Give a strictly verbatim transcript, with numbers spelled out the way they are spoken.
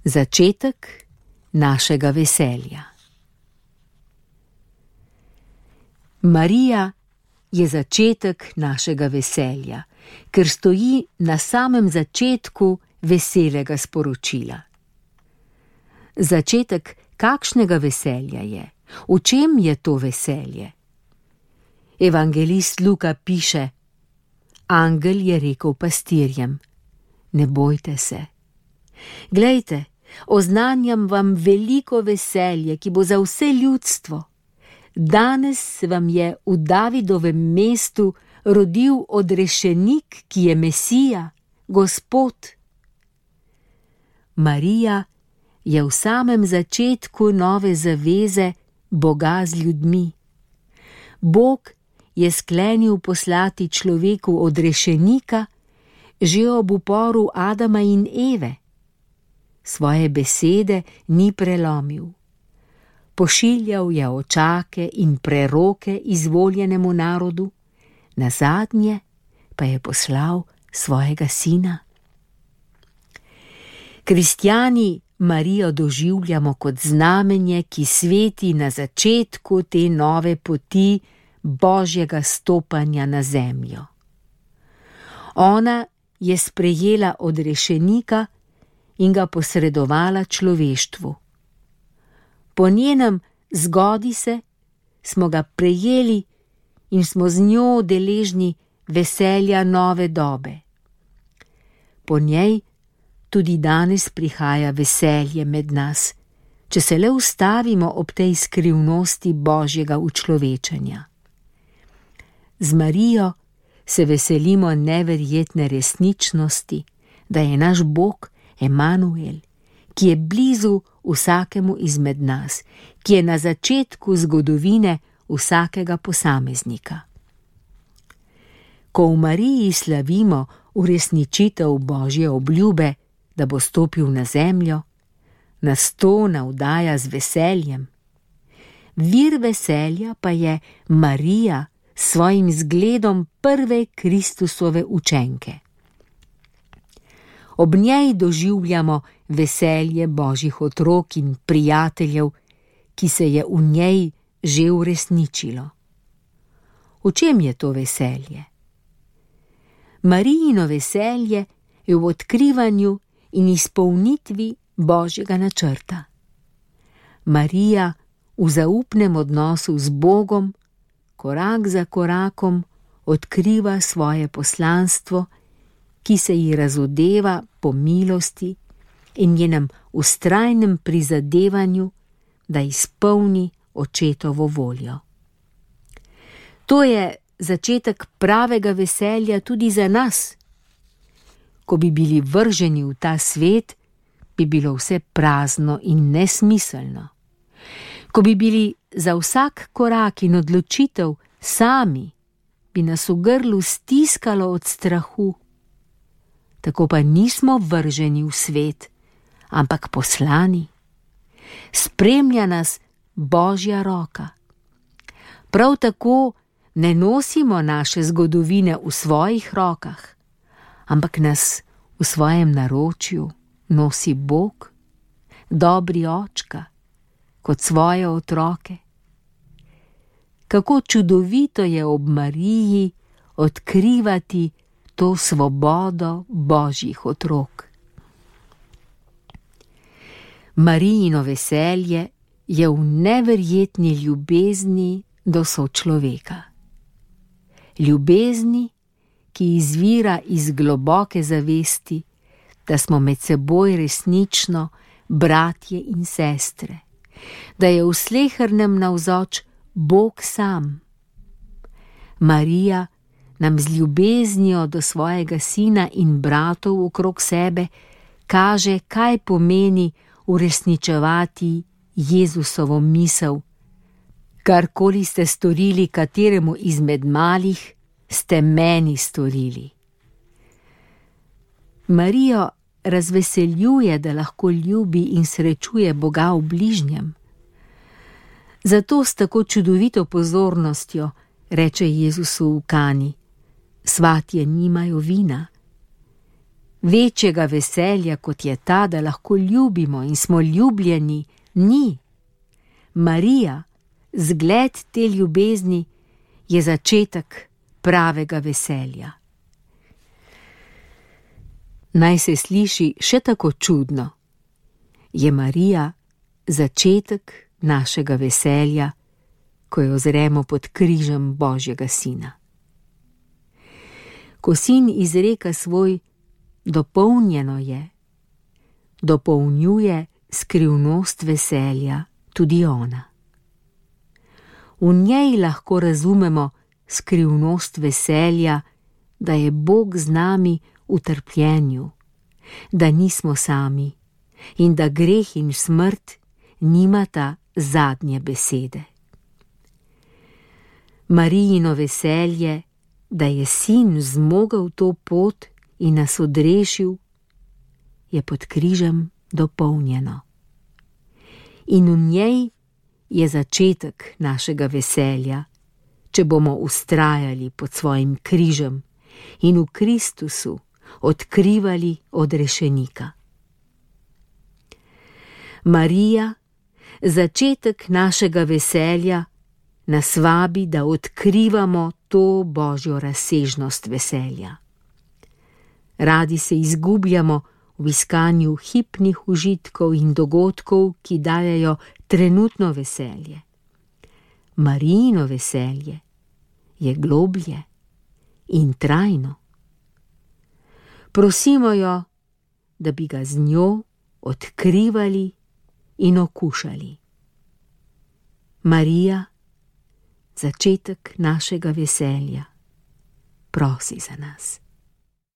Začetek našega veselja. Marija je začetek našega veselja, ker stoji na samem začetku veselega sporočila. Začetek kakšnega veselja je? V čem je to veselje? Evangelist Luka piše: Angel je rekel pastirjem: ne bojte se. Glejte, oznanjam vam veliko veselje, ki bo za vse ljudstvo. Danes vam je v Davidovem mestu rodil odrešenik, ki je Mesija, Gospod. Marija je v samem začetku nove zaveze Boga z ljudmi. Bog je sklenil poslati človeku odrešenika že ob uporu Adama in Eve. Svoje besede ni prelomil. Pošiljal je očake in preroke izvoljenemu narodu, nazadnje pa je poslal svojega sina. Kristjani Marijo doživljamo kot znamenje, ki sveti na začetku te nove poti Božjega stopanja na zemljo. Ona je sprejela odrešenika in ga posredovala človeštvu. Po njenem zgodi se smo ga prejeli in smo z njo deležni veselja nove dobe. Po njej tudi danes prihaja veselje med nas, če se le ustavimo ob tej skrivnosti Božjega učlovečenja. Z Marijo se veselimo neverjetne resničnosti, da je naš Bog Emanuel, ki je blizu vsakemu izmed nas, ki je na začetku zgodovine vsakega posameznika. Ko v Mariji slavimo uresničitev Božje obljube, da bo stopil na zemljo, nas to navdaja z veseljem. Vir veselja pa je Marija s svojim zgledom prve Kristusove učenke. Ob njej doživljamo veselje Božjih otrok in prijateljev, ki se je v njej že uresničilo. V čem je to veselje? Marijino veselje je v odkrivanju in izpolnitvi Božjega načrta. Marija v zaupnem odnosu z Bogom korak za korakom odkriva svoje poslanstvo, ki se ji razodeva po milosti in njenem vztrajnem prizadevanju, da izpolni očetovo voljo. To je začetek pravega veselja tudi za nas. Ko bi bili vrženi v ta svet, bi bilo vse prazno in nesmiselno. Ko bi bili za vsak korak in odločitev sami, bi nas v grlu stiskalo od strahu. Tako pa nismo vrženi v svet, ampak poslani. Spremlja nas Božja roka. Prav tako ne nosimo naše zgodovine v svojih rokah, ampak nas v svojem naročju nosi Bog, dobri očka, kot svoje otroke. Kako čudovito je ob Mariji odkrivati to svobodo Božjih otrok. Marijino veselje je v neverjetni ljubezni do sočloveka. Ljubezni, ki izvira iz globoke zavesti, da smo med seboj resnično bratje in sestre, da je v slehernem navzoč Bog sam. Marija nam z ljubeznijo do svojega sina in bratov okrog sebe kaže, kaj pomeni uresničevati Jezusovo misel. Karkoli ste storili kateremu izmed malih, ste meni storili. Marijo razveseljuje, da lahko ljubi in srečuje Boga v bližnjem. Zato s tako čudovito pozornostjo reče Jezusu v Kani: svatje nimajo vina. Večjega veselja, kot je ta, da lahko ljubimo in smo ljubljeni, ni. Marija, zgled te ljubezni, je začetek pravega veselja. Naj se sliši še tako čudno, je Marija začetek našega veselja, ko jo ozremo pod križem Božjega Sina. Ko Sin izreka svoj dopolnjeno je, dopolnjuje skrivnost veselja tudi ona. V njej lahko razumemo skrivnost veselja, da je Bog z nami v trpljenju, da nismo sami in da greh in smrt nimata zadnje besede. Marijino veselje, da je Sin zmogel to pot in nas odrešil, je pod križem dopolnjeno. In v njej je začetek našega veselja, če bomo vztrajali pod svojim križem in v Kristusu odkrivali odrešenika. Marija, začetek našega veselja, nas vabi, da odkrivamo to Božjo razsežnost veselja. Radi se izgubljamo v iskanju hipnih užitkov in dogodkov, ki dajejo trenutno veselje. Marijino veselje je globlje in trajno. Prosimo jo, da bi ga z njo odkrivali in okušali. Marija, začetek našega veselja, prosi za nas.